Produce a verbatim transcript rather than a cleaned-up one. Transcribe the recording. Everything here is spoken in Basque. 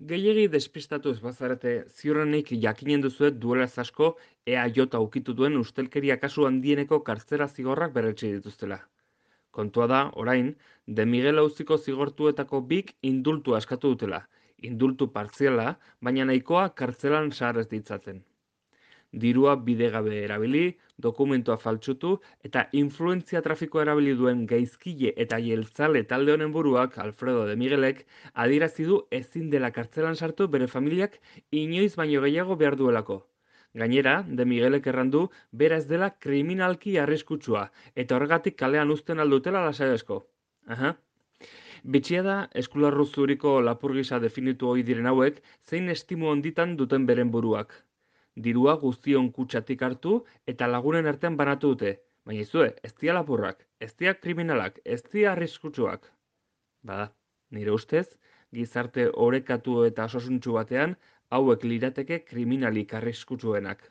Gehiegi despistatuz bazarete, ziurrenik jakinen duzuet duela ez asko E A J ukitu duen ustelkeria kasu handieneko kartzela zigorrak berretsi dituztela. Kontua da, orain, De Miguel auziko zigortuetako bik indultua eskatu dutela. Indultu partziala, baina nahikoa kartzelan sar ez ditzaten. Dirua bidegabe erabili, dokumentua faltsutu eta influentzia trafikoa erabili duen gaizkile eta jeltzale talde honen buruak, Alfredo de Miguelek, adierazi du ezin dela kartzelan sartu bere familiak inoiz baino gehiago behar duelako. Gainera, de Miguelek errandu bera ez dela kriminalki arriskutsua eta horregatik kalean uzten aldutela lasaiasko. Aha. Bitxia da, eskularru zuriko lapur gisa definitu ohi diren hauek, zein estimu onditan duten beren buruak. Dirua guztion kutsatik hartu eta lagunen artean banatu dute. Baina izue, ez dira lapurrak, ez dira kriminalak, ez dira arriskutsuak. Bada, nire ustez, gizarte orekatu eta sosuntsu batean, hauek lirateke kriminalik arriskutsuenak.